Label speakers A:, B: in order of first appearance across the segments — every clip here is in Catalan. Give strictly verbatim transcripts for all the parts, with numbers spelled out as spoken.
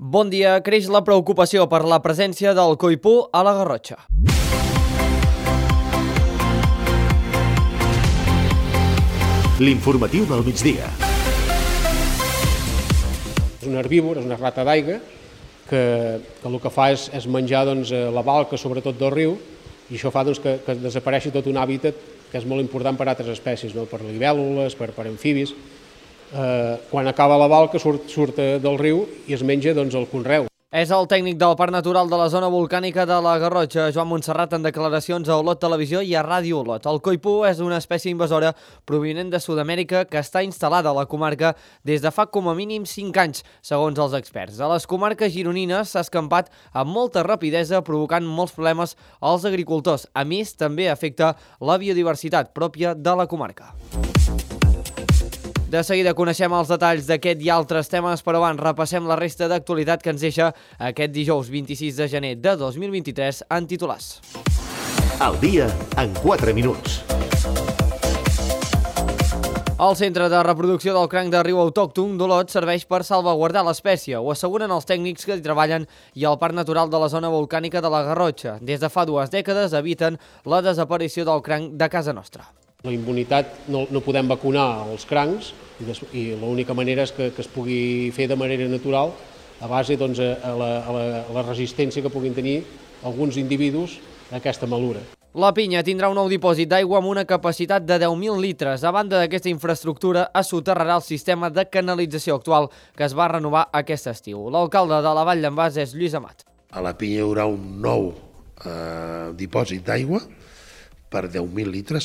A: Bon dia. Creix la preocupació per la presència del coipú a la Garrotxa.
B: L'informatiu del migdia.
C: És un herbívor, és una rata d'aigua, que, que el que fa és, és menjar doncs, la balca, sobretot del riu, i això fa doncs, que, que desapareixi tot un hàbitat que és molt important per a altres espècies, no? Per libèl·lules, per, per amfibis. Eh, quan acaba la balca surt, surt del riu i es menja doncs, el conreu.
A: És el tècnic del Parc Natural de la zona volcànica de la Garrotxa, Joan Montserrat, en declaracions a Olot Televisió i a Ràdio Olot. El coipú és una espècie invasora provinent de Sud-amèrica que està instal·lada a la comarca des de fa com a mínim cinc anys, segons els experts. A les comarques gironines s'ha escampat amb molta rapidesa, provocant molts problemes als agricultors. A més, també afecta la biodiversitat pròpia de la comarca. De seguida coneixem els detalls d'aquest i altres temes, però abans repassem la resta d'actualitat que ens deixa aquest dijous vint-i-sis de gener de dos mil vint-i-tres en titulars.
B: El dia en quatre minuts.
A: El Centre de Reproducció del Cranc de Riu Autòcton d'Olot serveix per salvaguardar l'espècie, ho asseguren els tècnics que hi treballen i el Parc Natural de la zona volcànica de la Garrotxa. Des de fa dues dècades eviten la desaparició del cranc de casa nostra.
C: La immunitat no, no podem vacunar els crancs i, des, i l'única manera és que, que es pugui fer de manera natural a base doncs, a, la, a, la, a la resistència que puguin tenir alguns individus a aquesta malura.
A: La Pinya tindrà un nou dipòsit d'aigua amb una capacitat de deu mil litres. A banda d'aquesta infraestructura, es soterrarà el sistema de canalització actual que es va renovar aquest estiu. L'alcalde de la Vall d'en Bas és Lluís Amat.
D: A la Pinya hi haurà un nou eh, dipòsit d'aigua per deu mil litres,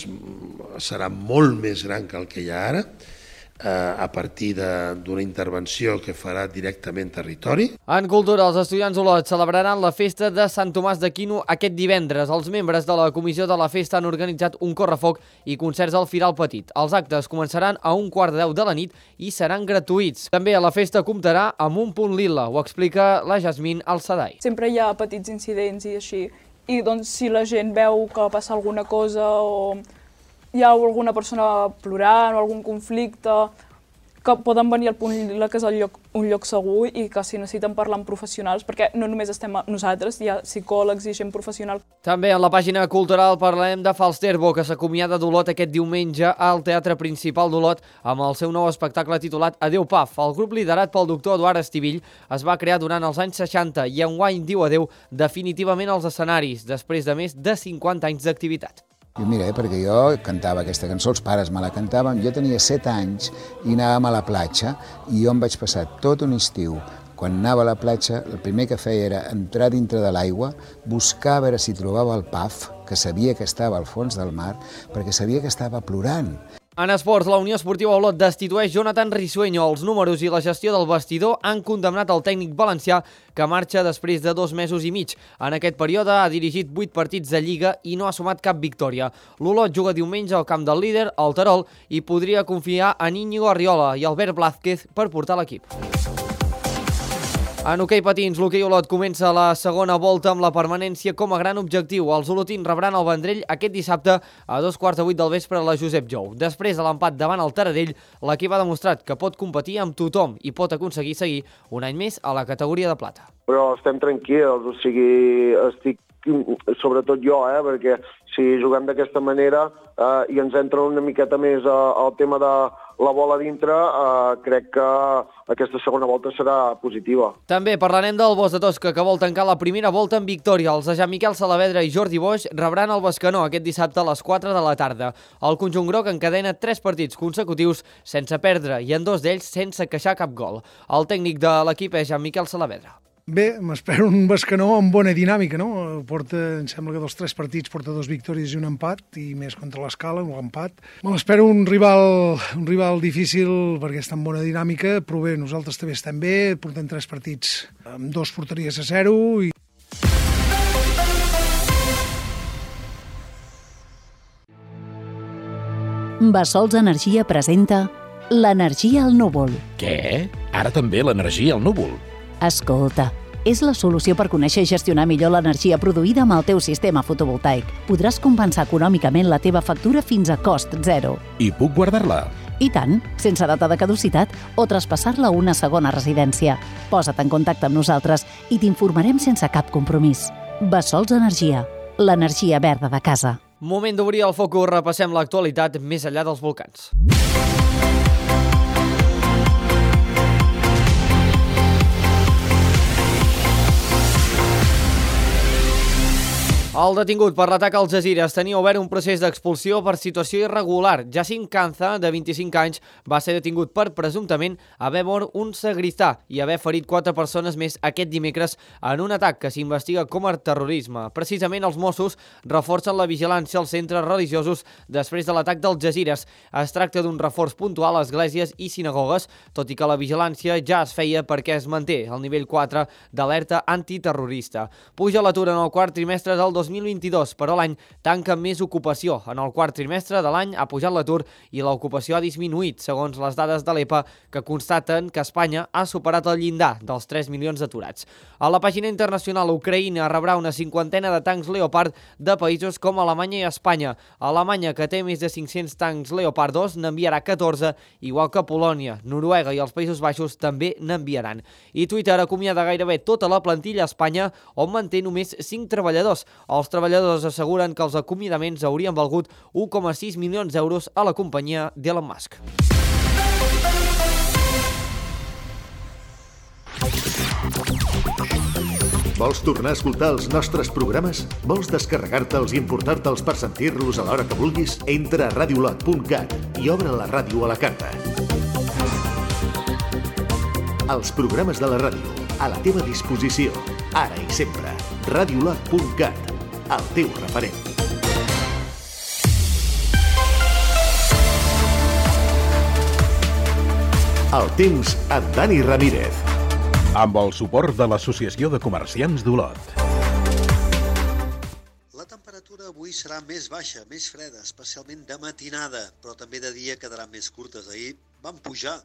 D: serà molt més gran que el que hi ha ara, eh, a partir d'una intervenció que farà directament territori.
A: En cultura, els estudiants d'Olot celebraran la festa de Sant Tomàs d'Aquino aquest divendres. Els membres de la comissió de la festa han organitzat un correfoc i concerts al Firal Petit. Els actes començaran a un quart de deu de la nit i seran gratuïts. També a la festa comptarà amb un punt lila, ho explica la Jasmine Alsadai.
E: Sempre hi ha petits incidents i així. I doncs si la gent veu que passa alguna cosa o hi ha alguna persona plorant o algun conflicte, que poden venir al punt lila, que és el lloc, un lloc segur, i que si necessiten parlar amb professionals, perquè no només estem nosaltres, hi ha psicòlegs i gent professional. També en la pàgina cultural parlarem de Falsterbo, que s'acomiada d'Olot aquest diumenge al Teatre Principal d'Olot amb el seu nou espectacle titulat Adéu Paf. El grup liderat pel doctor Eduard Estivill es va crear durant els anys seixanta i enguany diu adéu definitivament als escenaris, després de més de cinquanta anys d'activitat.
F: I mira, eh, perquè jo cantava aquesta cançó, els pares me la cantaven, jo tenia set anys i anàvem a la platja i jo em vaig passar tot un estiu. Quan anava a la platja, el primer que feia era entrar dintre de l'aigua, buscar a veure si trobava el Paf, que sabia que estava al fons del mar, perquè sabia que estava plorant.
A: En esports, la Unió Esportiva Olot destitueix Jonathan Risueño. Els números i la gestió del vestidor han condemnat el tècnic valencià, que marxa després de dos mesos i mig. En aquest període ha dirigit vuit partits de Lliga i no ha sumat cap victòria. L'Olot juga diumenge al camp del líder, el Terol, i podria confiar en Íñigo Arriola i Albert Blázquez per portar l'equip. En hoquei patins, l'hoquei Olot comença la segona volta amb la permanència com a gran objectiu. Els olotins rebran el Vendrell aquest dissabte a dos quarts de vuit del vespre a la Josep Jou. Després de l'empat davant el Taradell, l'equip ha demostrat que pot competir amb tothom i pot aconseguir seguir un any més a la categoria de plata.
G: Però estem tranquils, o sigui, estic sobretot jo, eh, perquè si juguem d'aquesta manera eh, i ens entra una miqueta més eh, el tema de la bola dintre, eh, crec que aquesta segona volta serà positiva.
A: També parlarem del Bos de Tosca, que vol tancar la primera volta en victòria. Els de Jean-Miquel Salavedra i Jordi Boix rebran el Bescanó aquest dissabte a les quatre de la tarda. El conjunt groc encadena tres partits consecutius sense perdre i en dos d'ells sense queixar cap gol. El tècnic de l'equip és Jean-Miquel Salavedra.
H: Bé, m'espero un Bescanó amb bona dinàmica, no? Porta, em sembla que dels tres partits porta dos victòries i un empat, i més contra l'Escala, un empat. Me l'espero un rival, un rival difícil perquè està en bona dinàmica, però bé, nosaltres també estem bé, portem tres partits amb dos porteries a zero i...
I: Bassols Energia presenta l'energia al núvol.
B: Què? Ara també l'energia al núvol?
I: Escolta, és la solució per conèixer i gestionar millor l'energia produïda amb el teu sistema fotovoltaic. Podràs compensar econòmicament la teva factura fins a cost zero.
B: I puc guardar-la?
I: I tant, sense data de caducitat o traspassar-la a una segona residència. Posa't en contacte amb nosaltres i t'informarem sense cap compromís. Bessols Energia, l'energia verda de casa.
A: Moment d'obrir el focus, repassem l'actualitat més enllà dels volcans. El detingut per l'atac als Jazires tenia obert un procés d'expulsió per situació irregular. Jacint Canza, de vint-i-cinc anys, va ser detingut per presumptament haver mort un sagristà i haver ferit quatre persones més aquest dimecres en un atac que s'investiga com a terrorisme. Precisament els Mossos reforcen la vigilància als centres religiosos després de l'atac dels Jazires. Es tracta d'un reforç puntual a esglésies i sinagogues, tot i que la vigilància ja es feia perquè es manté el nivell quatre d'alerta antiterrorista. Puja l'atur en el quart trimestre del dos mil vint-i-dos, però l'any tanca més ocupació. En el quart trimestre de l'any ha pujat l'atur i l'ocupació ha disminuït, segons les dades de l'E P A, que constaten que Espanya ha superat el llindar dels tres milions d'aturats. A la pàgina internacional, Ucraïna rebrà una cinquantena de tancs Leopard de països com Alemanya i Espanya. Alemanya, que té més de cinc-cents tancs Leopard dos, n'enviarà catorze, igual que Polònia, Noruega i els Països Baixos també n'enviaran. I Twitter acomiada gairebé tota la plantilla a Espanya, on manté només cinc treballadors. Els treballadors asseguren que els acomiadaments haurien valgut un coma sis milions d'euros a la companyia d'Elon Musk.
B: Vols tornar a escoltar els nostres programes? Vols descarregar-te'ls i importar-te'ls per sentir-los a l'hora que vulguis? Entra a radiolot punt cat i obre la ràdio a la carta. Els programes de la ràdio, a la teva disposició, ara i sempre. radiolot punt cat, el teu referent. El temps amb Dani Ramírez.
J: Amb el suport de l'Associació de Comerciants d'Olot.
K: La temperatura avui serà més baixa, més freda, especialment de matinada, però també de dia quedaran més curtes. Ahir van pujar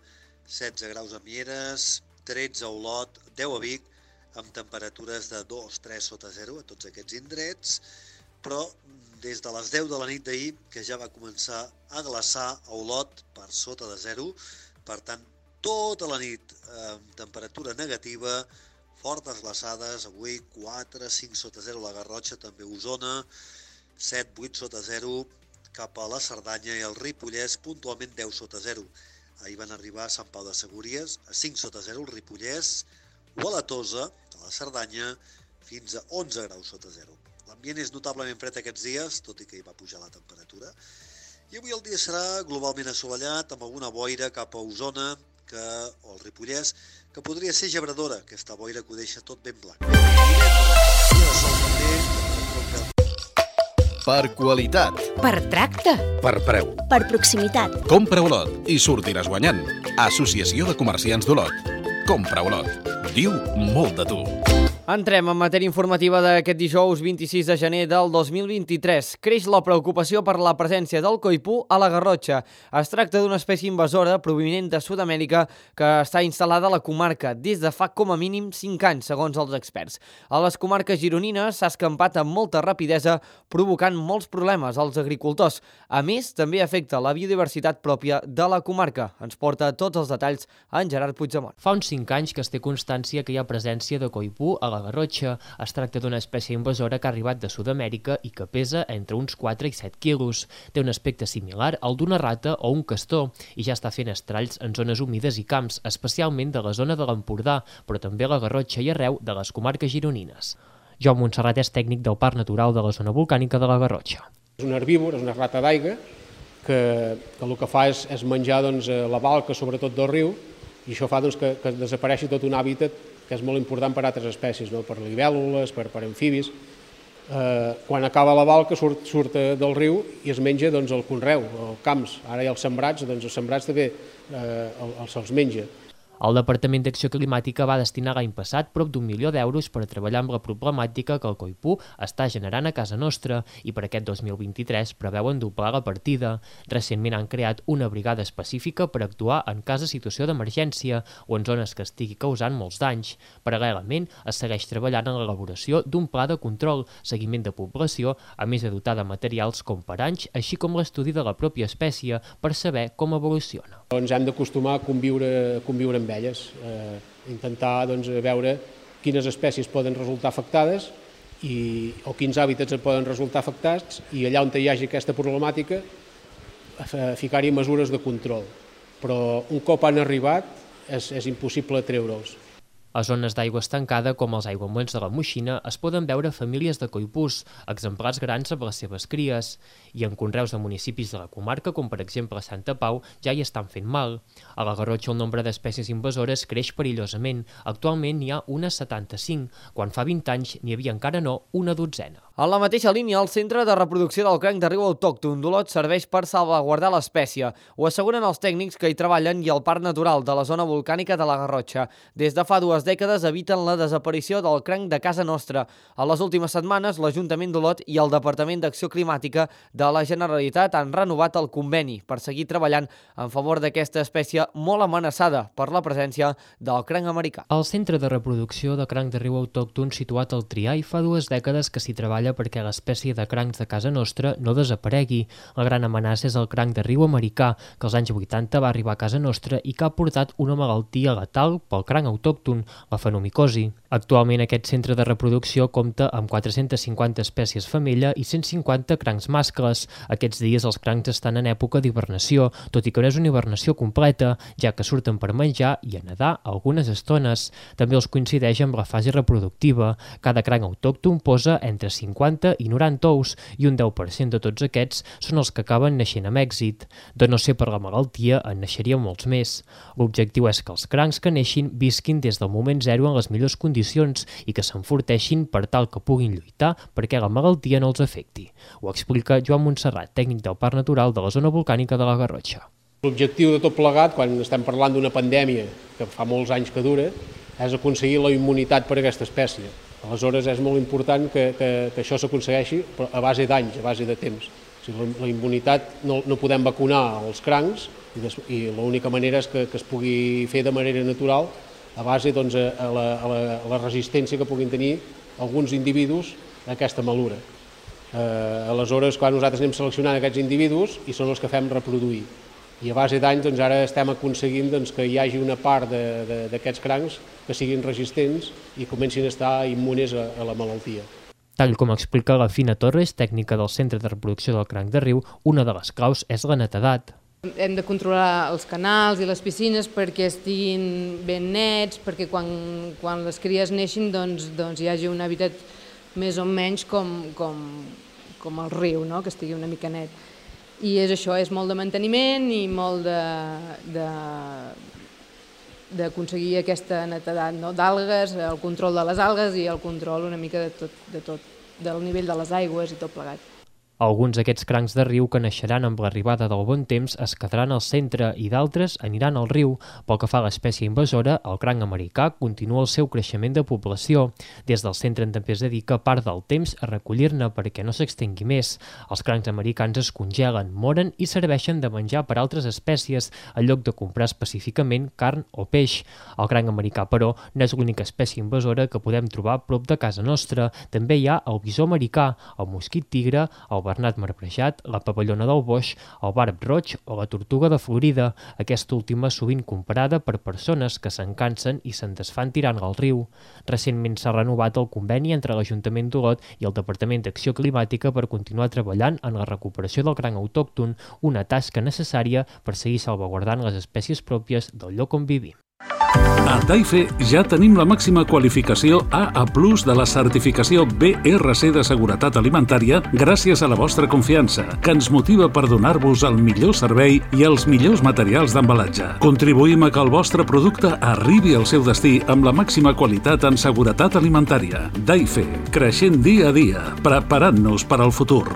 K: setze graus a Mieres, tretze a Olot, deu a Vic, amb temperatures de dos a tres sota zero a tots aquests indrets, però des de les deu de la nit d'ahir, que ja va començar a glaçar a Olot per sota de zero, per tant, tota la nit amb temperatura negativa, fortes glaçades, avui quatre a cinc sota zero a la Garrotxa, també a Osona, set a vuit sota zero cap a la Cerdanya i el Ripollès, puntualment deu sota zero. Ahir van arribar a Sant Pau de Segúries, a cinc sota zero el Ripollès, o a la Tosa, a la Cerdanya, fins a onze graus sota zero. L'ambient és notablement fred aquests dies, tot i que hi va pujar la temperatura. I avui el dia serà globalment assolellat, amb alguna boira cap a Osona que, o el Ripollès, que podria ser gebradora, aquesta boira que ho deixa tot ben blanc.
L: Per qualitat.
M: Per tracte.
L: Per preu.
M: Per proximitat.
L: Compra Olot i sortiràs guanyant. Associació de Comerciants d'Olot. Compra Olot. Diu molt de tu.
A: Entrem en matèria informativa d'aquest dijous vint-i-sis de gener del dos mil vint-i-tres. Creix la preocupació per la presència del coipú a la Garrotxa. Es tracta d'una espècie invasora provinent de Sud-amèrica que està instal·lada a la comarca des de fa com a mínim cinc anys, segons els experts. A les comarques gironines s'ha escampat amb molta rapidesa, provocant molts problemes als agricultors. A més, també afecta la biodiversitat pròpia de la comarca. Ens porta tots els detalls en Gerard Puigdemont.
N: Fa uns cinc anys que es té constància que hi ha presència de coipú a la Garrotxa. Es tracta d'una espècie invasora que ha arribat de Sud-amèrica i que pesa entre uns quatre i set quilos. Té un aspecte similar al d'una rata o un castor i ja està fent estralls en zones humides i camps, especialment de la zona de l'Empordà, però també a la Garrotxa i arreu de les comarques gironines. Joan Montserrat és tècnic del Parc Natural de la zona volcànica de la Garrotxa.
C: És un herbívor, és una rata d'aigua, que, que el que fa és, és menjar doncs, la balca, sobretot del riu, i això fa doncs, que, que desapareixi tot un hàbitat que és molt important per a altres espècies, no? Per libèl·lules, per, per amfibis. Eh, quan acaba la balca surt, surt del riu i es menja doncs, el conreu, els camps. Ara hi ha els sembrats, doncs els sembrats també eh, els, els menja.
N: El Departament d'Acció Climàtica va destinar l'any passat prop d'un milió d'euros per a treballar amb la problemàtica que el coipú està generant a casa nostra i per aquest dos mil vint-i-tres preveuen doblar la partida. Recentment han creat una brigada específica per actuar en cas de situació d'emergència o en zones que estigui causant molts danys. Paral·lelament, es segueix treballant en l'elaboració d'un pla de control, seguiment de població, a més de dotar de materials com paranys, així com l'estudi de la pròpia espècie per saber com evoluciona.
C: Ens hem d'acostumar a conviure, conviure amb elles, eh, intentar doncs, veure quines espècies poden resultar afectades i, o quins hàbitats poden resultar afectats i allà on hi hagi aquesta problemàtica ficar-hi mesures de control. Però un cop han arribat és, és impossible treure'ls.
N: A zones d'aigua estancada, com els aiguamolls de la Moixina, es poden veure famílies de coipús, exemplars grans amb les seves cries, i en conreus de municipis de la comarca, com per exemple Santa Pau, ja hi estan fent mal. A la Garrotxa el nombre d'espècies invasores creix perillosament. Actualment n'hi ha unes setanta-cinc, quan fa vint anys n'hi havia encara no una dotzena.
A: En la mateixa línia, el Centre de Reproducció del Cranc de Riu Autòcton d'Olot serveix per salvaguardar l'espècie. Ho asseguren els tècnics que hi treballen i el Parc Natural de la zona volcànica de la Garrotxa. Des de fa dues dècades eviten la desaparició del cranc de casa nostra. A les últimes setmanes, l'Ajuntament d'Olot i el Departament d'Acció Climàtica de la Generalitat han renovat el conveni per seguir treballant en favor d'aquesta espècie molt amenaçada per la presència del cranc americà.
N: El Centre de Reproducció de Cranc de Riu Autòcton, situat al Triai, fa dues dècades que s'hi treballa perquè l'espècie de crancs de casa nostra no desaparegui. La gran amenaça és el cranc de riu americà, que als anys vuitanta va arribar a casa nostra i que ha portat una malaltia letal pel cranc autòcton, la fenomicosi. Actualment aquest centre de reproducció compta amb quatre-centes cinquanta espècies femella i cent cinquanta crancs mascles. Aquests dies els crancs estan en època d'hibernació, tot i que no és una hibernació completa, ja que surten per menjar i a nedar algunes estones. També els coincideix amb la fase reproductiva. Cada cranc autòcton posa entre cinquanta i noranta ous i un deu per cent de tots aquests són els que acaben naixent amb èxit. De no ser per la malaltia, en naixerien molts més. L'objectiu és que els crancs que neixin visquin des del moment zero en les millors condicions i que s'enforteixin per tal que puguin lluitar perquè la malaltia no els afecti. Ho explica Joan Montserrat, tècnic del Parc Natural de la zona volcànica de la Garrotxa.
C: L'objectiu de tot plegat, quan estem parlant d'una pandèmia que fa molts anys que dura, és aconseguir la immunitat per a aquesta espècie. Aleshores és molt important que, que, que això s'aconsegueixi a base d'anys, a base de temps. O sigui, la, la immunitat no, no podem vacunar els crancs i, des, i l'única manera és que, que es pugui fer de manera natural a base doncs, a, la, a, la, a la resistència que puguin tenir alguns individus a aquesta malura. Eh, aleshores, quan nosaltres anem seleccionant aquests individus i són els que fem reproduir. I a base d'anys doncs, ara estem aconseguint doncs, que hi hagi una part d'aquests crancs que siguin resistents i comencin a estar immunes a, a la malaltia.
N: Tal com explica la Fina Torres, tècnica del Centre de Reproducció del Cranc de Riu, una de les claus és la netedat.
O: Hem de controlar els canals i les piscines perquè estiguin ben nets, perquè quan, quan les cries neixin doncs, doncs hi hagi un hàbitat més o menys com, com, com el riu, no? Que estigui una mica net. I és això, és molt de manteniment i molt d'aconseguir aquesta netedat, no? D'algues, el control de les algues i el control una mica de tot, de tot, del nivell de les aigües i tot plegat.
N: Alguns d'aquests crancs de riu que naixeran amb l'arribada del bon temps es quedaran al centre i d'altres aniran al riu. Pel que fa a l'espècie invasora, el cranc americà continua el seu creixement de població. Des del centre també es dedica part del temps a recollir-ne perquè no s'extingui més. Els crancs americans es congelen, moren i serveixen de menjar per altres espècies en lloc de comprar específicament carn o peix. El cranc americà, però, no és l'única espècie invasora que podem trobar a prop de casa nostra. També hi ha el bisó americà, el mosquit tigre, el bernat marbrejat, la pavellona del boix, el barb roig o la tortuga de Florida, aquesta última sovint comparada per persones que se'n cansen i se'n desfan tirant-la al riu. Recentment s'ha renovat el conveni entre l'Ajuntament d'Olot i el Departament d'Acció Climàtica per continuar treballant en la recuperació del cranc autòcton, una tasca necessària per seguir salvaguardant les espècies pròpies del lloc on vivim.
P: A Daife ja tenim la màxima qualificació A A plus de la certificació B R C de seguretat alimentària gràcies a la vostra confiança, que ens motiva per donar-vos el millor servei i els millors materials d'embalatge. Contribuïm a que el vostre producte arribi al seu destí amb la màxima qualitat en seguretat alimentària. Daife, creixent dia a dia, preparant-nos per al futur.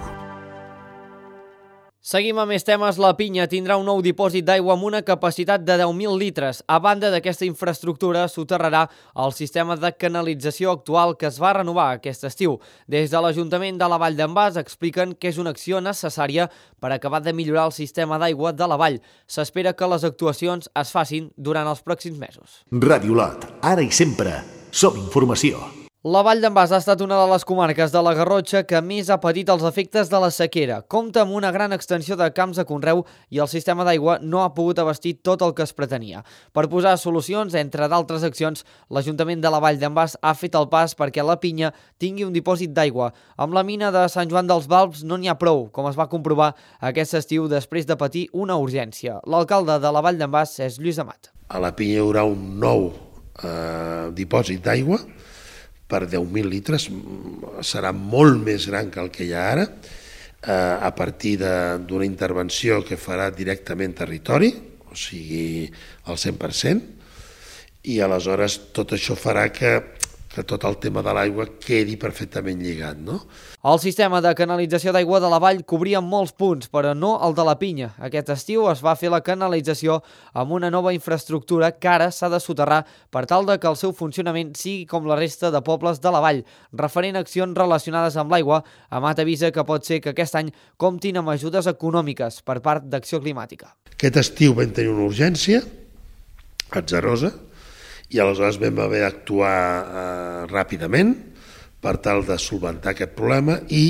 A: Seguim amb més temes. La Pinya tindrà un nou dipòsit d'aigua amb una capacitat de deu mil litres. A banda d'aquesta infraestructura, soterrarà el sistema de canalització actual que es va renovar aquest estiu. Des de l'Ajuntament de la Vall d'en Bas expliquen que és una acció necessària per acabar de millorar el sistema d'aigua de la vall. S'espera que les actuacions es facin durant els pròxims mesos.
B: Ràdio Lot, ara i sempre, som informació.
A: La Vall d'en Bas ha estat una de les comarques de la Garrotxa que més ha patit els efectes de la sequera. Compta amb una gran extensió de camps de conreu i el sistema d'aigua no ha pogut abastir tot el que es pretenia. Per posar solucions, entre d'altres accions, l'Ajuntament de la Vall d'en Bas ha fet el pas perquè la Pinya tingui un dipòsit d'aigua. Amb la mina de Sant Joan dels Balbs no n'hi ha prou, com es va comprovar aquest estiu després de patir una urgència. L'alcalde de la Vall d'en Bas és Lluís Amat.
D: A la Pinya hi haurà un nou eh, dipòsit d'aigua per deu mil litres, serà molt més gran que el que hi ha ara, eh, a partir d'una intervenció que farà directament territori, o sigui, al cent per cent, i aleshores tot això farà que, que tot el tema de l'aigua quedi perfectament lligat, no?
A: El sistema de canalització d'aigua de la vall cobria molts punts, però no el de la Pinya. Aquest estiu es va fer la canalització amb una nova infraestructura que ara s'ha de soterrar per tal de que el seu funcionament sigui com la resta de pobles de la vall. Referent a accions relacionades amb l'aigua, Amat avisa que pot ser que aquest any comptin amb ajudes econòmiques per part d'Acció Climàtica.
D: Aquest estiu vam tenir una urgència atzarosa i aleshores vam haver d'actuar eh, ràpidament per tal de solventar aquest problema i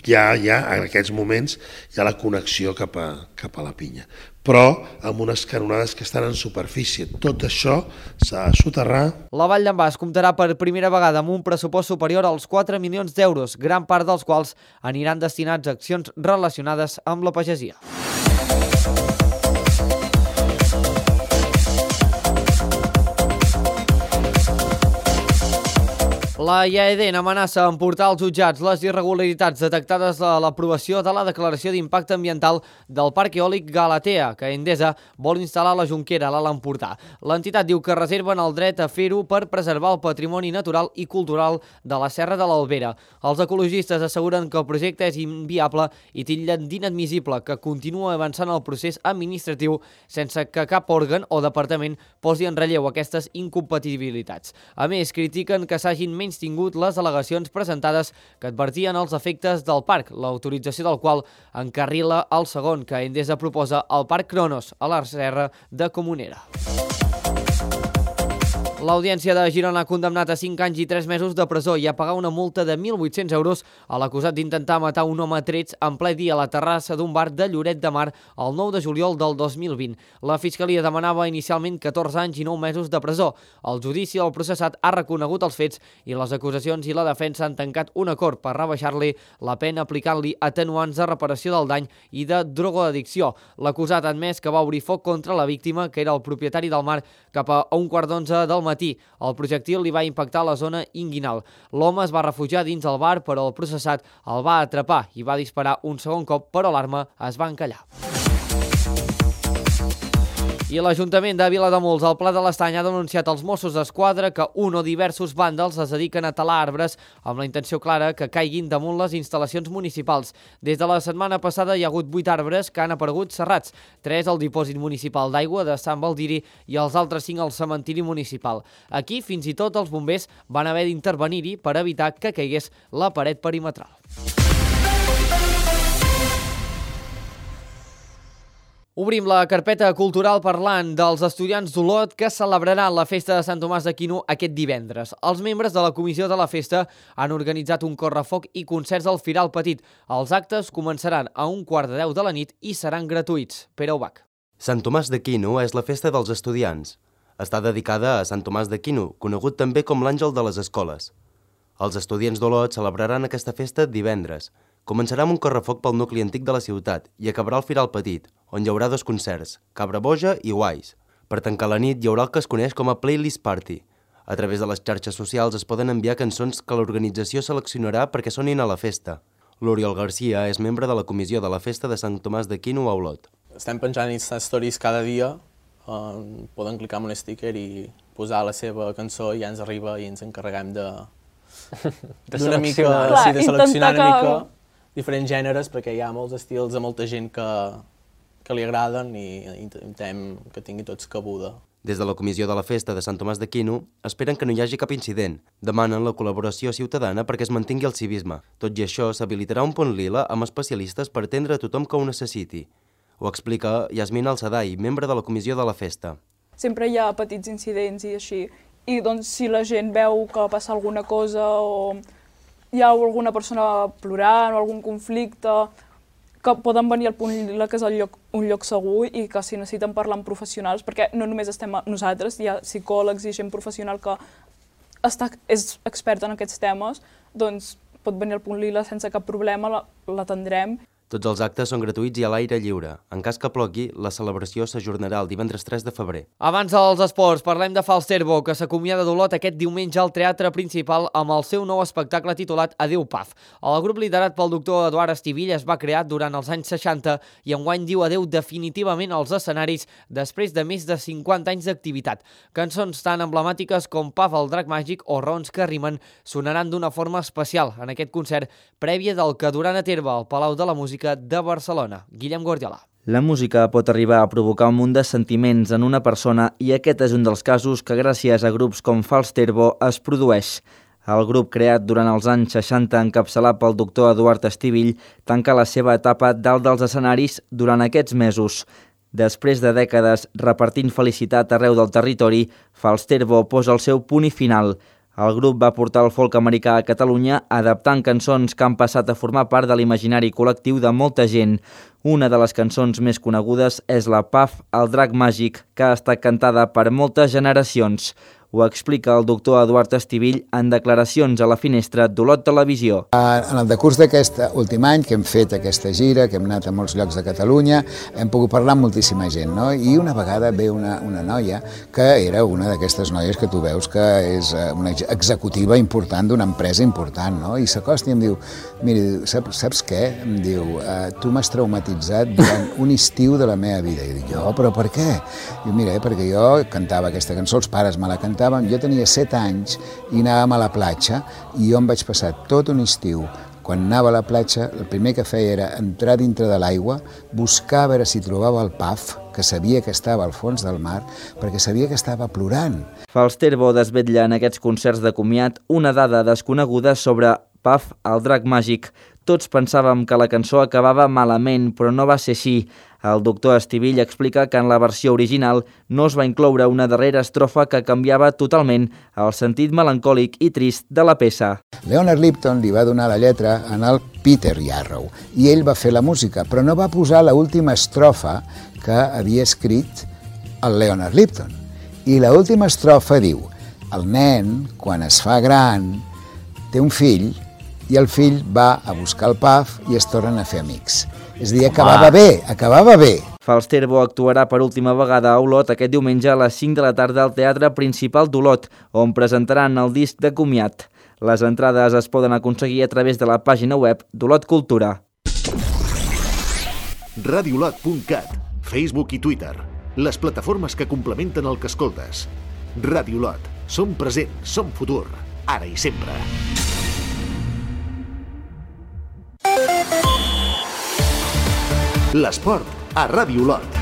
D: ja, ja en aquests moments hi ha la connexió cap a, cap a la Pinya. Però amb unes canonades que estan en superfície. Tot això s'ha de soterrar.
A: La Vall d'en Bas comptarà per primera vegada amb un pressupost superior als quatre milions d'euros, gran part dels quals aniran destinats a accions relacionades amb la pagesia. La I A E D amenaça amb portar als jutjats les irregularitats detectades a l'aprovació de la declaració d'impacte ambiental del Parc Eòlic Galatea, que Endesa vol instal·lar a la Jonquera, a l'Alt Empordà. L'entitat diu que reserven el dret a fer-ho per preservar el patrimoni natural i cultural de la Serra de l'Albera. Els ecologistes asseguren que el projecte és inviable i titllen d'inadmissible que continua avançant el procés administratiu sense que cap òrgan o departament posi en relleu aquestes incompatibilitats. A més, critiquen que s'hagin menys tingut les al·legacions presentades que advertien els efectes del parc, l'autorització del qual encarrila el segon que Endesa proposa al Parc Cronos, a la Serra de Comunera. L'Audiència de Girona ha condemnat a cinc anys i tres mesos de presó i a pagar una multa de mil vuit-cents euros a l'acusat d'intentar matar un home a trets en ple dia a la terrassa d'un bar de Lloret de Mar el nou de juliol del dos mil vint. La Fiscalia demanava inicialment catorze anys i nou mesos de presó. El judici del processat ha reconegut els fets i les acusacions i la defensa han tancat un acord per rebaixar-li la pena aplicant-li atenuants de reparació del dany i de drogoaddicció. L'acusat ha admès que va obrir foc contra la víctima, que era el propietari del mar, cap a un quart d'onze del matí. El projectil li va impactar a la zona inguinal. L'home es va refugiar dins el bar, però el processat el va atrapar i va disparar un segon cop, però l'arma es va encallar. I l'Ajuntament de Vilademuls, al Pla de l'Estany, ha denunciat als Mossos d'Esquadra que un o diversos vàndals es dediquen a talar arbres amb la intenció clara que caiguin damunt les instal·lacions municipals. Des de la setmana passada hi ha hagut vuit arbres que han aparegut serrats, tres al dipòsit municipal d'aigua de Sant Baldiri i els altres cinc al cementiri municipal. Aquí, fins i tot els bombers van haver d'intervenir-hi per evitar que caigués la paret perimetral. Obrim la carpeta cultural parlant dels estudiants d'Olot que celebraran la festa de Sant Tomàs d'Aquino aquest divendres. Els membres de la comissió de la festa han organitzat un correfoc i concerts al Firal Petit. Els actes començaran a un quart de deu de la nit i seran gratuïts. Pere Ubach.
Q: Sant Tomàs d'Aquino és la festa dels estudiants. Està dedicada a Sant Tomàs d'Aquino, conegut també com l'àngel de les escoles. Els estudiants d'Olot celebraran aquesta festa divendres. Començarà amb un correfoc pel nucli antic de la ciutat i acabarà al Firal Petit, on hi haurà dos concerts, Cabra Boja i Guais. Per tancar la nit hi haurà el que es coneix com a Playlist Party. A través de les xarxes socials es poden enviar cançons que l'organització seleccionarà perquè sonin a la festa. L'Oriol Garcia és membre de la comissió de la festa de Sant Tomàs d'Aquino a Olot.
R: Estem penjant Insta Stories cada dia, eh, poden clicar en un sticker i posar la seva cançó i ja ens arriba i ens encarreguem de,
S: de
R: d'una mica,
E: Clar,
R: sí, de seleccionar una mica diferents gèneres, perquè hi ha molts estils a molta gent que, que li agraden i intentem que tingui tots cabuda.
Q: Des de la comissió de la festa de Sant Tomàs d'Aquino esperen que no hi hagi cap incident. Demanen la col·laboració ciutadana perquè es mantingui el civisme. Tot i això, s'habilitarà un pont lila amb especialistes per atendre a tothom que ho necessiti. Ho explica Yasmina Alsadai, membre de la comissió de la festa.
E: Sempre hi ha petits incidents i així, i doncs si la gent veu que passa alguna cosa o hi ha alguna persona plorant o algun conflicte, que poden venir al punt lila, que és el lloc, un lloc segur, i que si necessiten parlar amb professionals, perquè no només estem nosaltres, hi ha psicòlegs i gent professional que està, és experta en aquests temes, doncs pot venir al punt lila sense cap problema, l'atendrem.
Q: Tots els actes són gratuïts i a l'aire lliure. En cas que plogui, la celebració s'ajornarà el divendres tres de febrer.
A: Abans dels esports, parlem de Falsterbo, que s'acomiada d'Olot aquest diumenge al Teatre Principal amb el seu nou espectacle titulat Adéu Paf. El grup liderat pel doctor Eduard Estivill es va crear durant els anys seixanta i enguany diu adéu definitivament als escenaris després de més de cinquanta anys d'activitat. Cançons tan emblemàtiques com Paf el drac màgic o Raons que rimen sonaran d'una forma especial en aquest concert prèvia del que duran a terme al Palau de la Música de Barcelona. Guillem Guardiola.
S: La música pot arribar a provocar un munt de sentiments en una persona i aquest és un dels casos que gràcies a grups com Falsterbo es produeix. El grup creat durant els anys seixanta encapçalat pel doctor Eduard Estivill tanca la seva etapa dalt dels escenaris durant aquests mesos. Després de dècades repartint felicitat arreu del territori, Falsterbo posa el seu punt i final. El grup va portar el folk americà a Catalunya adaptant cançons que han passat a formar part de l'imaginari col·lectiu de molta gent. Una de les cançons més conegudes és la Paf, el drac màgic, que ha estat cantada per moltes generacions. Ho explica el doctor Eduard Estivill en declaracions a la finestra d'Olot Televisió.
F: En el decurs d'aquest últim any que hem fet aquesta gira, que hem anat a molts llocs de Catalunya, hem pogut parlar amb moltíssima gent, no? I una vegada ve una, una noia que era una d'aquestes noies que tu veus que és una executiva important d'una empresa important, no? I s'acosta i em diu, mira, saps, saps què? Em diu, tu m'has traumatitzat durant un estiu de la meva vida. I dic, jo, però per què? Diu, mira, perquè jo cantava aquesta cançó, els pares me la cantaven, jo tenia set anys i anàvem a la platja i jo em vaig passar tot un estiu. Quan anava a la platja, el primer que feia era entrar dintre de l'aigua, buscar a veure si trobava el Paf, que sabia que estava al fons del mar, perquè sabia que estava plorant.
S: Falsterbo desvetlla en aquests concerts de comiat una dada desconeguda sobre Paf, el drac màgic. Tots pensàvem que la cançó acabava malament, però no va ser així. El doctor Estivill explica que en la versió original no es va incloure una darrera estrofa que canviava totalment el sentit melancòlic i trist de la peça.
F: Leonard Lipton li va donar la lletra en el Peter Yarrow i ell va fer la música, però no va posar l'última estrofa que havia escrit el Leonard Lipton. I l'última estrofa diu: el nen, quan es fa gran, té un fill i el fill va a buscar el Paf i es tornen a fer amics. És a dir, acabava bé, acabava bé.
S: Falsterbo actuarà per última vegada a Olot aquest diumenge a les cinc de la tarda al Teatre Principal d'Olot, on presentaran el disc de comiat. Les entrades es poden aconseguir a través de la pàgina web d'Olot Cultura.
B: radiolot punt cat, Facebook i Twitter, les plataformes que complementen el que escoltes. Radiolot, som present, som futur, ara i sempre. L'esport a Ràdio Olot.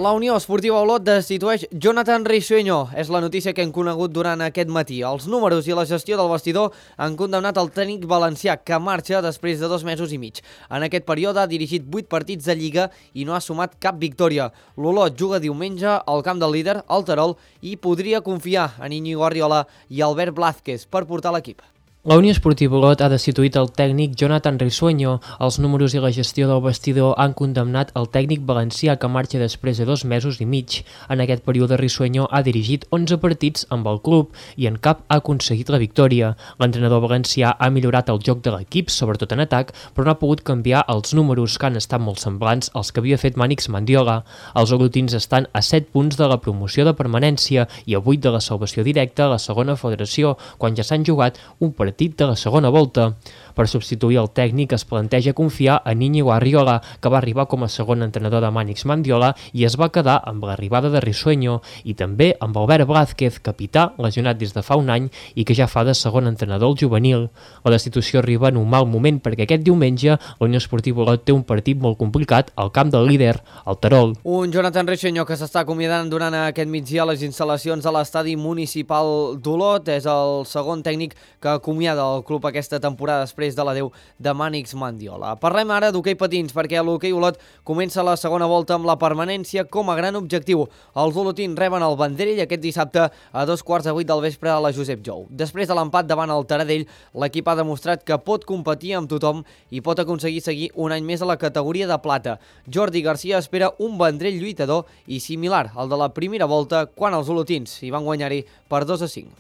A: La Unió Esportiva Olot destitueix Jonathan Risueño. És la notícia que hem conegut durant aquest matí. Els números i la gestió del vestidor han condemnat el tècnic valencià, que marxa després de dos mesos i mig. En aquest període ha dirigit vuit partits de Lliga i no ha sumat cap victòria. L'Olot juga diumenge al camp del líder, el Terol, i podria confiar en Íñigo Arriola i Albert Blázquez per portar l'equip.
N: La Unió Esportiva Olot ha destituït el tècnic Jonathan Risueño. Els números i la gestió del vestidor han condemnat el tècnic valencià, que marxa després de dos mesos i mig. En aquest període Risueño ha dirigit onze partits amb el club i en cap ha aconseguit la victòria. L'entrenador valencià ha millorat el joc de l'equip, sobretot en atac, però no ha pogut canviar els números, que han estat molt semblants als que havia fet Mànix Mandiola. Els olotins estan a set punts de la promoció de permanència i a vuit de la salvació directa a la segona federació, quan ja s'han jugat un partit de la segona volta. Per substituir el tècnic es planteja confiar en Íñigo Arriola, que va arribar com a segon entrenador de Mànix Mandiola i es va quedar amb l'arribada de Risueño, i també amb Albert Blázquez, capità, lesionat des de fa un any i que ja fa de segon entrenador al juvenil. La destitució arriba en un mal moment perquè aquest diumenge la Unió Esportiva Olot té un partit molt complicat al camp del líder, el Terol.
A: Un Jonathan Risueño que s'està acomiadant durant aquest migdia a les instal·lacions a l'estadi municipal d'Olot. És el segon tècnic que acomiada el club aquesta temporada després de l'adeu de Mànix Mandiola. Parlem ara d'hoquei patins perquè l'hoquei Olot comença la segona volta amb la permanència com a gran objectiu. Els olotins reben el Vendrell aquest dissabte a dos quarts de vuit del vespre a la Josep Jou. Després de l'empat davant el Taradell, l'equip ha demostrat que pot competir amb tothom i pot aconseguir seguir un any més a la categoria de plata. Jordi Garcia espera un Vendrell lluitador i similar al de la primera volta quan els olotins hi van guanyar-hi per dos a cinc.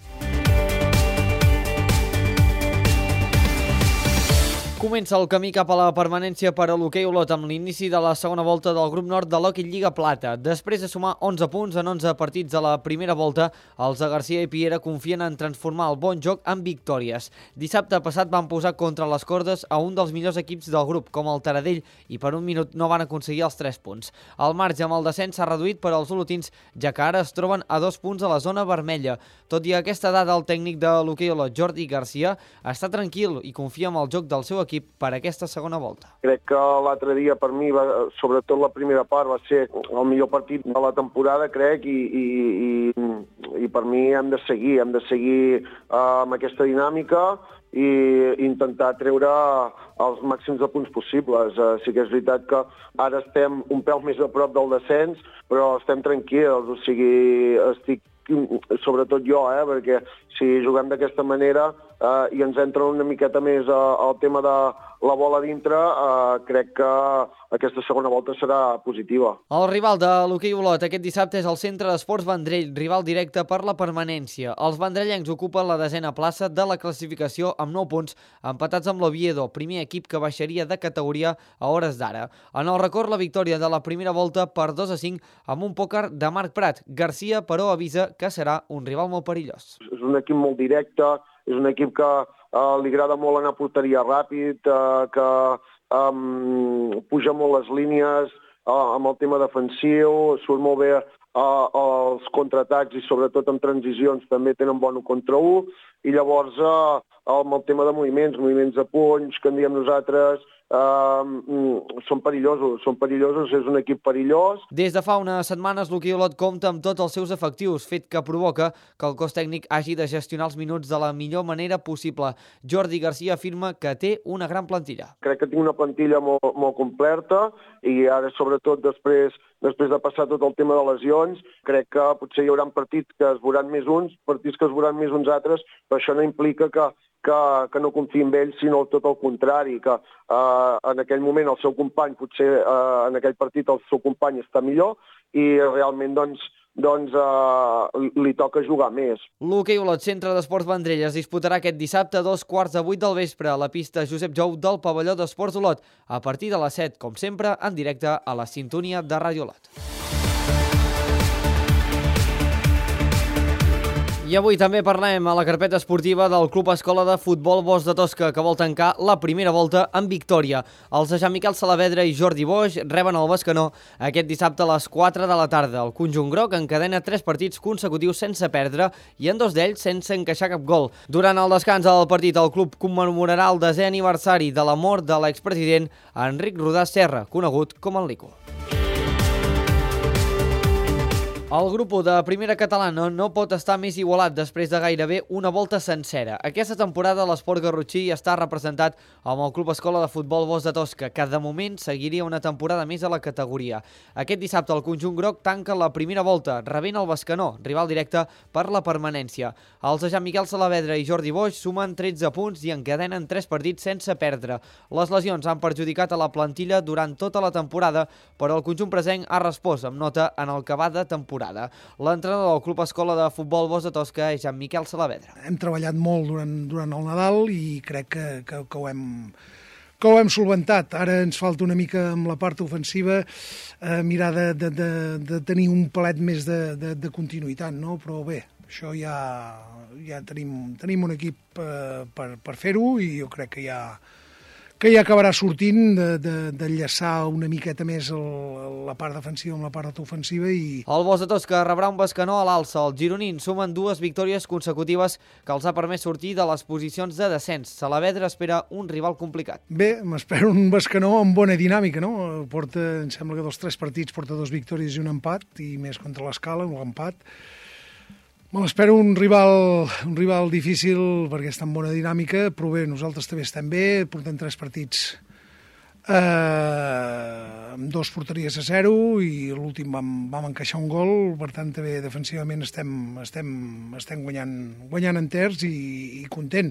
A: Comença el camí cap a la permanència per a l'hoquei Olot amb l'inici de la segona volta del grup nord de l'Hockey Lliga Plata. Després de sumar onze punts en onze partits de la primera volta, els de Garcia i Piera confien en transformar el bon joc en victòries. Dissabte passat van posar contra les cordes a un dels millors equips del grup, com el Taradell, i per un minut no van aconseguir els tres punts. El marge amb el descens s'ha reduït per als olotins, ja que ara es troben a dos punts a la zona vermella. Tot i aquesta dada, el tècnic de l'hoquei Olot, Jordi Garcia, està tranquil i confia en el joc del seu equip per aquesta segona volta.
G: Crec que l'altre dia per mi, va, sobretot la primera part, va ser el millor partit de la temporada, crec, i, i, i, i per mi hem de seguir, hem de seguir uh, amb aquesta dinàmica i intentar treure els màxims de punts possibles. Uh, sí que és veritat que ara estem un pèl més a prop del descens, però estem tranquils, o sigui, estic sobretot jo, eh, perquè si juguem d'aquesta manera eh, i ens entra una miqueta més eh, el tema de la bola dintre, eh, crec que aquesta segona volta serà positiva.
A: El rival de l'hoquei Olot aquest dissabte és el Centre d'Esports Vendrell, rival directe per la permanència. Els vendrellencs ocupen la desena plaça de la classificació amb nou punts, empatats amb l'Oviedo, primer equip que baixaria de categoria a hores d'ara. En el record, la victòria de la primera volta per dos a cinc amb un pòquer de Marc Prat. Garcia, però, avisa que serà un rival molt perillós.
G: És un equip molt directe, és un equip que eh, li agrada molt anar a porteria ràpid, eh, que eh, puja molt les línies eh, amb el tema defensiu, surt molt bé eh, els contraatacs i sobretot en transicions també tenen bon un contra un, i llavors eh, amb el tema de moviments, moviments de punys, que en diem nosaltres, Uh, són perillosos, són perillosos, és un equip perillós.
A: Des de fa unes setmanes l'hoquei Olot compta amb tots els seus efectius, fet que provoca que el cos tècnic hagi de gestionar els minuts de la millor manera possible. Jordi Garcia afirma que té una gran plantilla.
G: Crec que tinc una plantilla molt, molt completa i ara sobretot després, després de passar tot el tema de lesions, crec que potser hi haurà partits que es veuran més uns, partits que es veuran més uns altres, però això no implica que Que, que no confiï en ell, sinó tot el contrari, que eh, en aquell moment el seu company, potser eh, en aquell partit el seu company està millor i realment doncs, doncs eh, li toca jugar més.
A: L'hoquei Olot Centre d'Esports Vendrell es disputarà aquest dissabte a dos quarts de vuit del vespre a la pista Josep Jou del pavelló d'Esports Olot, a partir de les set, com sempre, en directe a la sintonia de Ràdio Olot. I avui també parlem a la carpeta esportiva del Club Escola de Futbol Bosch de Tosca, que vol tancar la primera volta amb victòria. Els de Jean Miquel Saavedra i Jordi Boix reben el Bescanó aquest dissabte a les quatre de la tarda. El conjunt groc encadena tres partits consecutius sense perdre i en dos d'ells sense encaixar cap gol. Durant el descans del partit, el club commemorarà el desè aniversari de la mort de l'expresident Enric Rodà Serra, conegut com el Lico. El grup de primera catalana no pot estar més igualat després de gairebé una volta sencera. Aquesta temporada l'esport garrotxí està representat amb el Club Escola de Futbol Bosch de Tosca, que de moment seguiria una temporada més a la categoria. Aquest dissabte el conjunt groc tanca la primera volta, rebent el Bescanó, rival directe per la permanència. Els de Jean Miquel Saavedra i Jordi Boix sumen tretze punts i encadenen tres partits sense perdre. Les lesions han perjudicat a la plantilla durant tota la temporada, però el conjunt presenc ha respost amb nota en el que va de temporada. L'entrenador del Club Escola de Futbol Bosch de Tosca és Jean Miquel Saavedra.
H: Hem treballat molt durant, durant el Nadal i crec que, que, que, ho hem, que ho hem solventat. Ara ens falta una mica amb la part ofensiva eh, mirar de, de, de, de tenir un palet més de, de, de continuïtat, no? Però bé, Això ja, ja tenim, tenim un equip eh, per, per fer-ho i jo crec que ja, que ja acabarà sortint d'enllaçar de, de una miqueta més el, la part defensiva amb la part ofensiva. I...
A: El Bosch de Tosca rebrà un Bescanó a l'alça. Els gironins sumen dues victòries consecutives que els ha permès sortir de les posicions de descens. Saavedra espera un rival complicat.
H: Bé, m'espero un Bescanó amb bona dinàmica, no? Porta, em sembla que dels tres partits porta dues victòries i un empat, i més contra l'Escala, un empat. Me l'espero un rival, un rival difícil perquè està en bona dinàmica, però bé, nosaltres també estem bé, portem tres partits eh, amb dos porteries a zero i l'últim vam, vam encaixar un gol, per tant també defensivament estem, estem, estem guanyant, guanyant enters i, i content.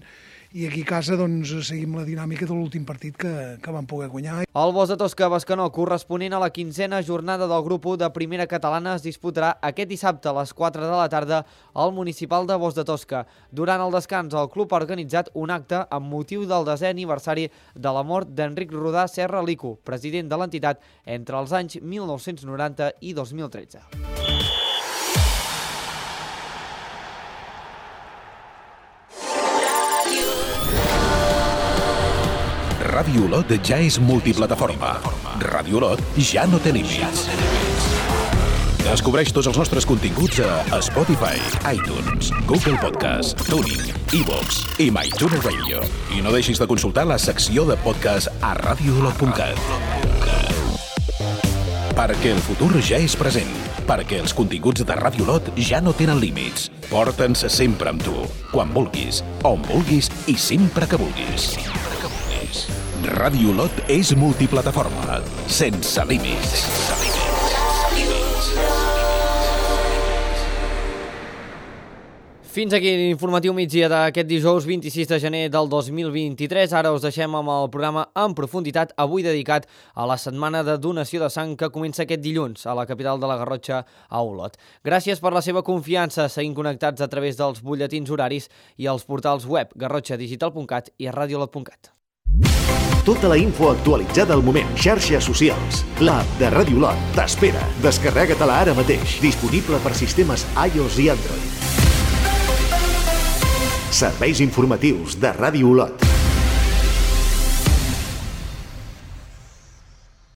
H: I aquí a casa doncs, seguim la dinàmica de l'últim partit que, que vam poder guanyar.
A: El Bosch de Tosca Bescanó, corresponent a la quinzena jornada del grup u de Primera Catalana, es disputarà aquest dissabte a les quatre de la tarda al municipal de Bosch de Tosca. Durant el descans, el club ha organitzat un acte amb motiu del desè aniversari de la mort d'Enric Rodà Serra Lico, president de l'entitat entre els anys mil nou-cents noranta i dos mil tretze.
L: Ràdio Olot ja és multiplataforma. Ràdio Olot ja no té límits. Descobreix tots els nostres continguts a Spotify, iTunes, Google Podcast, TuneIn, iVoox i MyTuner Radio. I no deixis de consultar la secció de podcast a radio olot punt cat. Perquè el futur ja és present. Perquè els continguts de Ràdio Olot ja no tenen límits. Porta'ns sempre amb tu, quan vulguis, on vulguis i sempre que vulguis. Ràdio Olot és multiplataforma, sense límits.
A: Fins aquí l'informatiu migdia d'aquest dijous vint-i-sis de gener del dos mil vint-i-tres. Ara us deixem amb el programa en profunditat, avui dedicat a la setmana de donació de sang que comença aquest dilluns a la capital de la Garrotxa, a Olot. Gràcies per la seva confiança, seguint connectats a través dels butlletins horaris i els portals web garrotxa digital punt cat i radio olot punt cat.
B: Tota la info actualitzada al moment. Xarxes socials. L'app de Ràdio Olot t'espera. Descarrega-te-la ara mateix. Disponible per sistemes iOS i Android. Serveis informatius de Ràdio Olot.